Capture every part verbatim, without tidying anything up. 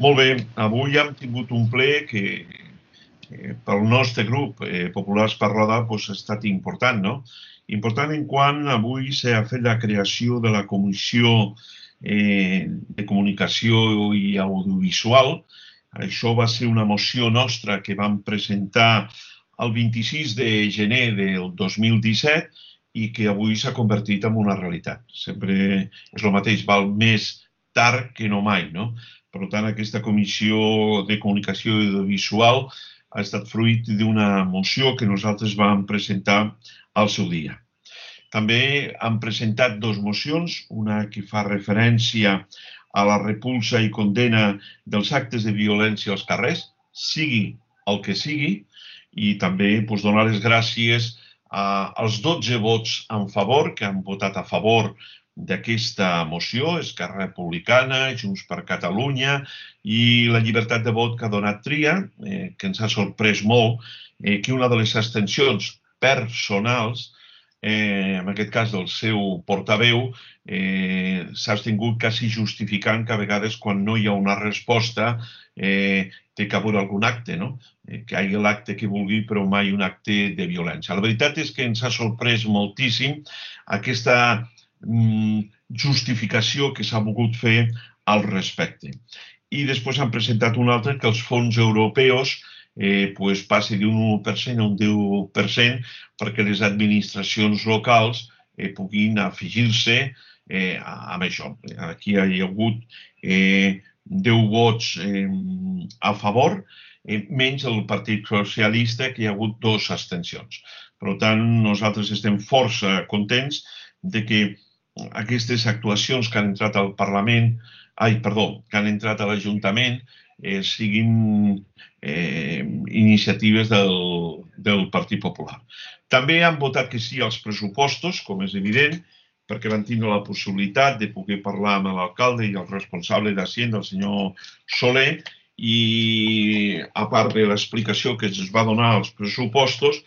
Molt bé, avui hem tingut un ple que eh, pel nostre grup eh, Populars per Roda pues, ha estat important, no? Important en quant avui s'ha fet la creació de la Comissió eh, de Comunicació i Audiovisual. Això va ser una moció nostra que vam presentar el vint-i-sis de gener del dos mil disset i que avui s'ha convertit en una realitat. Sempre és el mateix, val més tard que no mai, no? Per tant, aquesta Comissió de Comunicació i Audiovisual ha estat fruit d'una moció que nosaltres vam presentar al seu dia. També hem presentat dues mocions, una que fa referència a la repulsa i condena dels actes de violència als carrers, sigui el que sigui, i també doncs, donar les gràcies als dotze vots en favor, que han votat a favor d'aquesta moció, Esquerra Republicana, Junts per Catalunya i la llibertat de vot que ha donat Tria, eh, que ens ha sorprès molt eh, que una de les abstencions personals, eh, en aquest cas del seu portaveu, eh, s'ha abstingut quasi justificant que a vegades quan no hi ha una resposta eh, té que haver algun acte, no? Eh, que hi hagi l'acte que vulgui, però mai un acte de violència. La veritat és que ens ha sorprès moltíssim aquesta justificació que s'ha volgut fer al respecte. I després han presentat un altre que els fons europeus eh, pues, passi d'un u per cent a un deu per cent perquè les administracions locals eh, puguin afegir-se eh, amb això. Aquí hi ha hagut eh, deu vots eh, a favor, eh, menys el Partit Socialista, que hi ha hagut dues abstencions. Per tant, nosaltres estem força contents de que aquestes actuacions que han entrat al Parlament, ai, perdó, que han entrat a l'Ajuntament, eh, siguin eh, iniciatives del, del Partit Popular. També han votat que sí als pressupostos, com és evident, perquè van tindre la possibilitat de poder parlar amb l'alcalde i el responsable d'Hacienda, el senyor Soler, i a part de l'explicació que es va donar als pressupostos,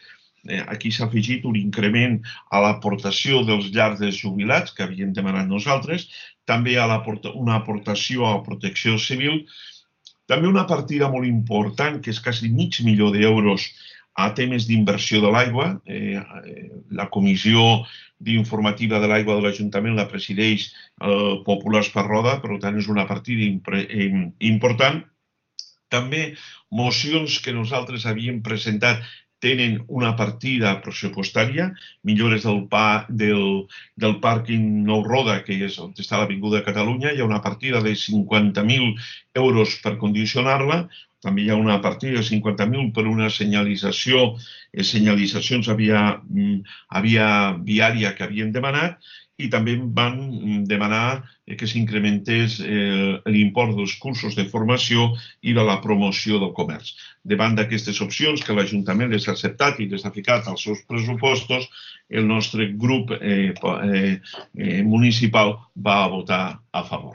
aquí s'ha afegit un increment a l'aportació dels llars dels jubilats, que havíem demanat nosaltres, també a una aportació a protecció civil, també una partida molt important, que és quasi mig milió d'euros a temes d'inversió de l'aigua. La Comissió d'informativa de l'aigua de l'Ajuntament la presideix el Populars per Roda, per tant és una partida important. També mocions que nosaltres havíem presentat tenen una partida pressupostària, millores del, pa, del, del pàrquing Nou Roda, que és on està l'Avinguda de Catalunya, hi ha una partida de cinquanta mil euros per condicionar-la, també hi ha una partida de cinquanta mil per una senyalització, senyalitzacions via, via viària que havien demanat, i també van demanar que s'incrementés l'import dels cursos de formació i de la promoció del comerç. Davant d'aquestes opcions que l'Ajuntament les ha acceptat i les ha ficat als seus pressupostos, el nostre grup municipal va votar a favor.